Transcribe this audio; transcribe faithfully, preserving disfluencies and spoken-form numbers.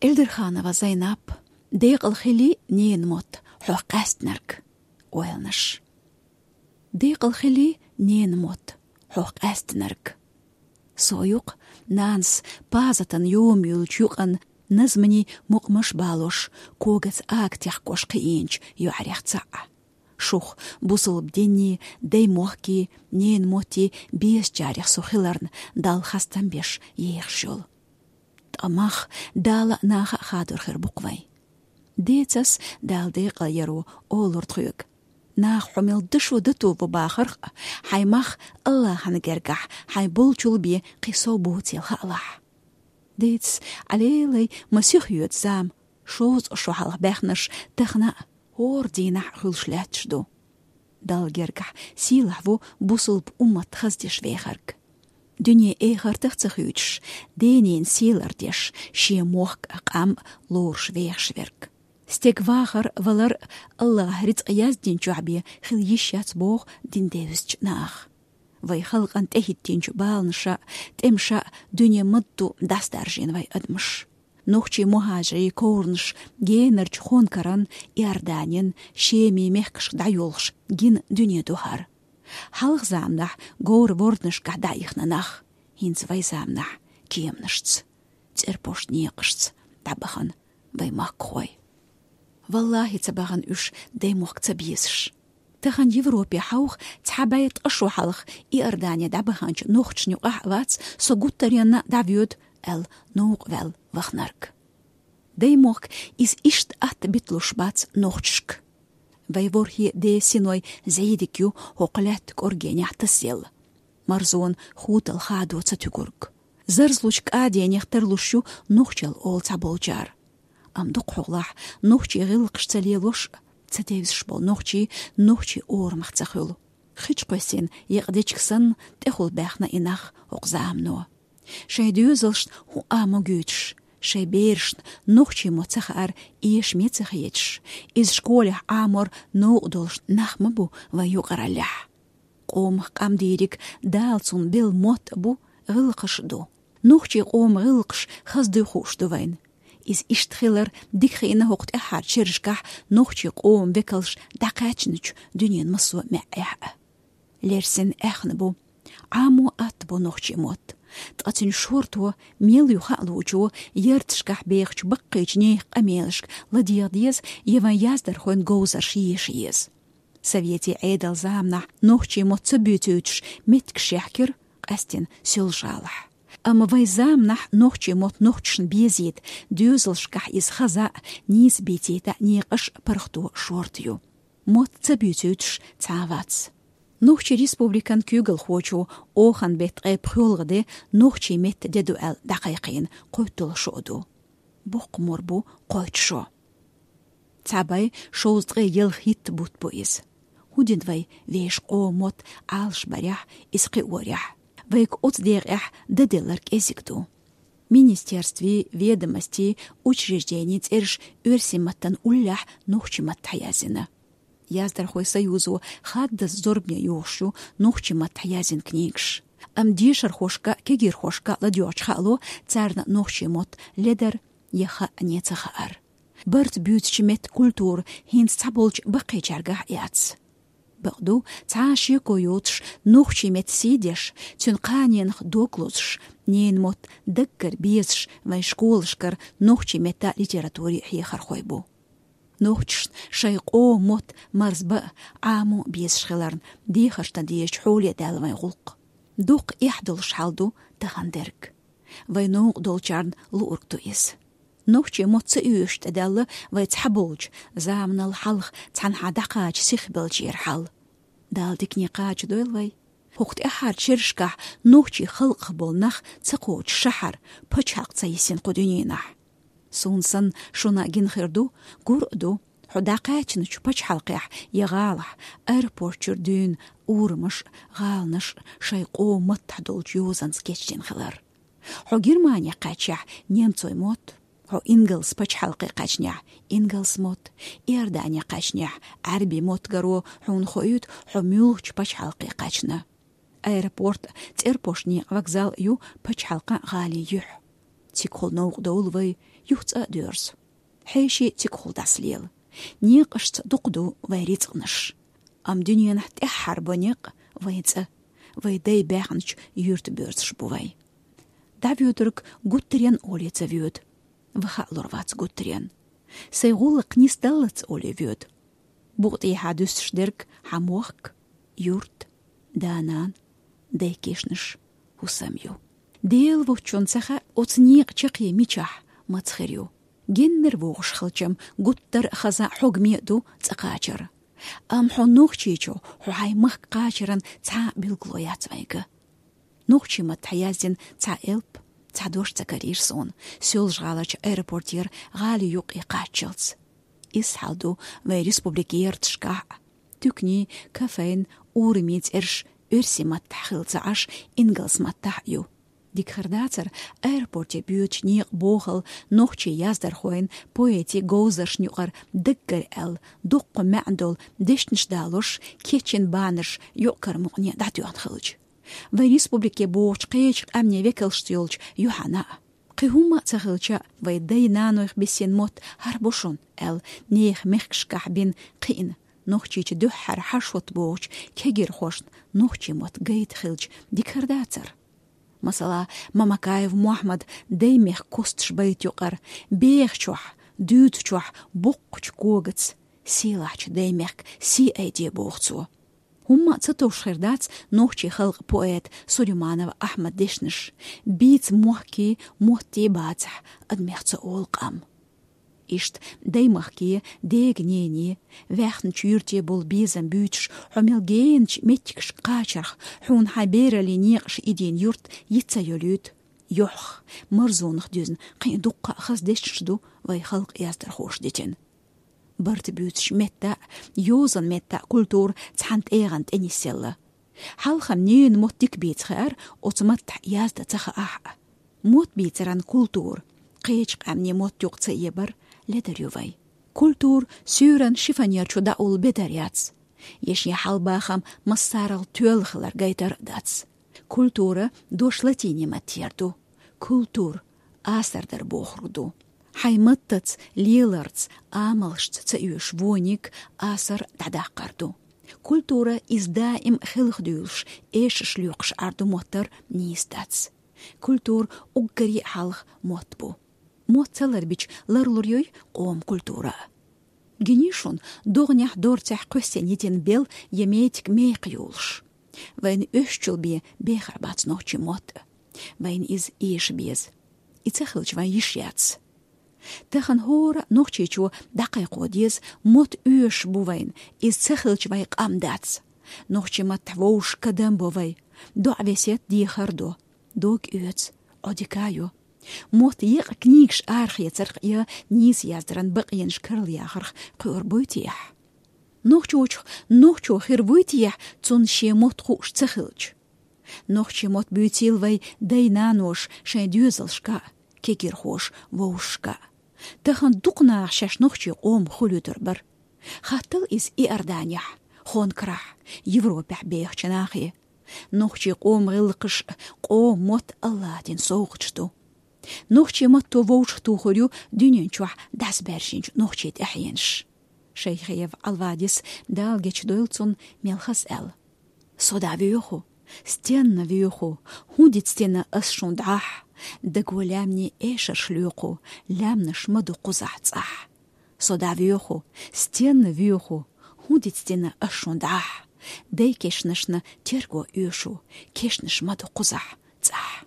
Эльдерханова Зайнап. «Декъал хилий, ненан мотт, хьох къаьстинарг». Ойланаш. «Декъал хилий, ненан мотт, хьох къаьстинарг». Со юкъ нанас пазатан йома юлча юкъан назманий мукъамаш балош, когаца ага техкош кхиийнача йоӀарех цаӀ. Шух, бусалба динний, дай мохкий, ненан моттий безачарех со хиларна Далла хастам беш ехаш йола. Ткъа мах Дала а, наха а хадор хир бу-кх вай. Децас Дала декъал яро олур тхоьга. Наха хьо мел дашо дато ву бахарх а, хьай мах Аллахьан гергахь хьай болчул бе кхин сов боцийла хаалахь. Децас, Ӏалелай, ма сиха йоьду зама, шовзткъа шо хьалха баьхнарш тахана а, хӀора дийнахь а хуьлуш лаьтташ ду. Далла гергахь сийлахь ву бусалба уммат хаздеш вехарг. Дуьне эхартах ца хуьйцуш, денна сий лардеш, шен мохк а, къам а лоруш вехаш верг. Стеган вахар, валар а Аллахьа рицкъ яздинчохь бен хила йиш яц боху дин девзачу наха. Вай халкъана тӀехӀиттинчу баланаша а, тӀемаша а дуьне ма-дду дӀасадаржийна вай адамаш. Нохчийн мухӀажарийн ковранаш генарчу Хонкаран, Иорданин, Шемин мехкашка дӀайолуш гина дуьне ду хӀара. Хьалха заманахь говр-ворданашкахь дӀаихна нах, хӀинца вай заманахь кеманашца, цӀерпошт некъашца дӀабахана вай махкахой. Валлахьи, ца бахана уьш даймохк ца безаш. Тахана Европе хьовха, цхьа бӀе ткъа шо хьалха Иордане дӀабаханчу нохчашна юкъахь а вац со гуттаренна а дӀавоьду аьлла новкъа ваьлла ваханарг. Даймохк иза иштта атта биталуш бац нохчашка. Вай ворхӀе ден синой зӀийдиг ю хӀокху лаьтта кӀоргенехь тасаелла. Марзонан хутал хадо ца туьгург. Зарзлучу кӀаденех тарлуш ю нохчалла олу цхьаболчара. Амма дукхахьолахь нохчийн гӀиллакхаш ца лелош а, ца девзаш болу нохчий нохчийн орамах ца хуьлу. Хи чу кхоьссина екъа дечиг санна, тӀехула баьхна и нах хӀокху замано. Шайн доьзалшна хӀун Ӏамо гуьйтуш, шайн берашна нохчийн мотт ца хаар эшаме ца хеташ, иза школехь Ӏамор новкъа долуш нах ма бу вайн юкъараллехь. Къомах къам дийриг Дала цунна белла мотт а бу, гӀиллакхаш а ду. Нохчийн къоман гӀиллакхаш хаза дуй хууш ду вайна. Иза иштта хилар дика хиъна хӀокху тӀаьххьарчу шерашкахь нохчийн къоман векалш дӀакхаьчначу дуьненан массо а маьӀӀехь а. Лерсина аьхна бу, Ӏамо атта бу нохчийн мотт. Ткъа цуьнан шорто мел ю хаа луучо ярташкахь бехачу баккхийчу нехан къамелашка ладегӀа деза я вайн яздархойн говзарш еша еза. Советийн Ӏедалан заманахь нохчийн мотт ца буьйцуьйтуш меттигаш яьхкира, къаьстина Соьлжа-ГӀалахь. Амма вайн заманахь нохчийн мотт нохчашна безийта, доьзалшкахь иза хаза а, нийса бийцийта а некъаш а паргӀато шорта ю. Мотт ца буьйцуьйтуш цхьа а вац. Нохчийн республикан куьйгалхочо Оханан беттан ткъе пхоьалгӀа де нохчийн меттан де ду аьлла дӀакхайкхийна кхойтталгӀа шо а ду. Боккха мур бу кхойтта шо. Цхьа бӀе шовзткъе ялх-итт бутт бу иза. ХӀун дина вай вешан къоман мотт Ӏалашбарехь, иза кхиорехь? Вайга оцу декъехь дан делларг кӀезиг ду. Министерствийн, ведомостийн, учрежденийн цӀераш оьрсийн маттана уллехь нохчийн маттахь язйина. Яздархойн союзо хаддаза зорбане йохуш ю нохчийн маттахь язйина книгаш. Амма дешархошка а, кегийрхошка а ладоьгӀча хаало, царна нохчийн мотт ледара я хаъане ца хаар. Барт буьйцучу меттан культура хӀинца цхьаболчу баккхийчаьргахь а яц. Бакъду, цхьа а шеко йоцуш, нохчийн меттан сий деш, цуьнан кханенах дог лозуш, ненан мотт даггара безаш вайн школашкара нохчийн меттан литературин хьехархой бу. Нохчашна шайн къоман мотт марзбан а, Ӏамо а безаш хиларна, дехарш дан дезачу хьоле даьлла вайн гӀуллакх. Дукха эхь долуш хьал ду тахана дерг. Вайн новкъа долчарна луург ду иза. Нохчийн мотт ца оьшуш тӀедаьлла вай цхьаболчу, заманал хьалха цхьанхьа дӀакхача сихбеллачеран хьал. Дала дикане кхачадойла вай. ХӀокху тӀаьххьарчу шерашкахь нохчийн халкъах болу нах ца кхочу шахьар, пачхьалкх ца йисина кху дуьненахь. Суна санна шуна а гина хир ду, гур а ду, хьо дӀакхаьчначу пачхьалкхехь я гӀалахь, аэропорт чуьра дуьйна урамаш а, гӀаланаш а шайн къоман маттахь долчу йозанца кечдина хилар. Хьо Германе кхаьччехь немцойн мотт, хьо ингалс пачхьалкхе кхаьчнехь ингалс мотт, Иордане кхаьчнехь Ӏаьрбийн мотт гаро хьуна хоуьйту хьо муьлхачу пачхьалкхе кхаьчна. Аэропорт а, цӀерпошт некъа вокзал а ю пачхьалкхан а, гӀалин юьхь. Цигахула новкъа довла вай, юха цӀа а доьрзу. Хьеший цигахула дӀасалела. Некъашца дукха ду вай рицкъанаш. Амма дуьненахь тӀаьххьара бо некъ вайн цӀа, вай дай баьхначу юьрта боьрзуш бу вай. ДӀавоьдург гуттаренна олий ца воьду. Ваха а лур вац гуттаренна. Сайн гӀуллакх нисдаллалц олий воьду. Букъа тӀехьа дуьсуш дерг хьан мохк, юрт, да-нана, дай кешнаш, хӀусам ю. Дела воцчунна ца хаьа, оцу некъа чаккхе мичахь, маца хир ю. Геннара вогӀуш хилчам гуттар а хаза хьогаме а ду цӀа кхачар. Амма хьо нохчийчо, хьо хьайн махка кхачаран цхьа а билгало яц вайга. Нохчийн маттахь яздина цхьа элп, цхьа дош ца карийра суна, Соьлжа-ГӀаларчу аэропортера гӀали юккъе кхаччалц. Иза хьал ду вайн республикан ярташкахь а. Туьканийн, кафен, урамийн цӀераш оьрсийн маттахь хилла ца Ӏаш, ингалс маттахь а ю. Дика хир дацара, аэропорте боьдучу некъан бохалла нохчийн яздархойн, поэтийн говзаршна юкъара даггара аьлла, дуккха маьӀна долу дешнаш далош, кечйина баннерш юкъ-кара мукъане дӀатоьхна хилча. Вайн республике богӀучу кхечу къаьмнийн векалшца йолчу юьхьана а. Кхин хӀумма а ца хилча, вай дай-нанойх бисина мотт хӀара бу шуна, аьлла, нехан мехкашкахь бина кхиъна, Нохчийчу дуьххьара хьарш хӀотта богӀучу кегирхошна нохчийн мотт гайта хилча, дика хир дацара. Масала, Мамакаев Мохьмад дай-мехкан косташ байта юкъара: «Бехачохь, дуьйцучохь боккхачу когаца сийлахьчу дай-мехкан сий айде», — боху цо. ХӀумма а ца товш хир дац нохчийн халкъан поэта Сулейманов Ахьмадан дешнаш: «Бийца мохкий, моттий бацахь, адамех ца олу къам». Иштта даймахкий, дега нений, ваьхначу юьрте болу безам буьйцуш, хьо мел геначу меттигашка кхачарх, хьуна хьайн бераллин некъаш идийна юрт йиц ца йолуьйту. Йохьах, марзонах дуьзна кхин а дуккха а хаза дешнаш ду вай халкъан яздархоша дитина. Барта буьйцучу метта а, йозанан метта а культура цхьана тӀегӀан тӀе нисъелла. Хьалха-м ненан мотт дика бийца хаар, оцу маттахь яздан ца хаахь а. Мотт бийцаран культура, кхечу къаьмнийн мотт юкъа ца эбар ледар ю вай. Культура суьйранна шифоньер чу дӀаулла бедар яц. Я шен хьалабахам массарал тоьлла хилар гайтар а дац. Культура дош латинийн маттера ду. Культур — асар дар бохург ду. Хьайн маттаца, леларца, амалшца ца оьшу вониг асар дӀадаккхар ду. Культура иза даим хелха дуьйлуш, эшарш лоькхуш Ӏар ду моттар нийса дац. Культура уггаре а хьалха мотт бу. Мотт ца ларбича, ларлур юй къоман культура а. Гиний шуна, догӀанехь, дорцехь кхоьссина йитина бел я метиг мекха йолуш. Вайна оьшучул бен бехар бац нохчийн мотт а. Вайна иза эша беза. И ца хилча, вайн йиш яц. Тахана хӀора нохчийчо дӀакхайкхо деза, мотт оьшуш бу вайна, иза ца хилча, вайн къам дац. Нохчийн маттахь вовшашка кадам бо вай. ДоӀа-весет дехар до. Дог оьцу, Ӏодика йо. Мотт екъа книгаш арахецарх я нийса яздаран бакъенаш карла яхарх кхоьрур буй техьа? Нохчочух нохчо хир вуй техьа, цунна шен мотт хууш ца хилча? Нохчийн мотт буьйцийла вай дай-наноша шайн доьзалшка а, кегирхоша вовшашка а. Тахана дукха наха шаьш нохчийн къомах хуьлуьйтур бара. Хаттал иза Иорданехь, Хонкарахь, Европехь бехачу нахе. Нохчийн къоман гӀиллакхаш а, къоман мотт а АллахӀа дина совгӀаташ ду. Нохчийн матто вовшахтухур ю дуьнен чохь дӀасабаьржинчу нохчийн тӀаьхьенаш. Шайхиев Ӏалвадис, Дала гечдойла цунна, мел хаза аьлла: «Со дӀавоьху, стенна воьху, хӀун дицдина ас шун дӀахь, даго лаьмнийн эшарш лоькху, лаьмнаш ма ду кхузахь цӀахь. Со дӀавоьху, стенна воьху, хӀун дицдина ас шун дӀахь, дай кешнашна терго оьшу, кешнаш ма ду кхузахь цӀахь».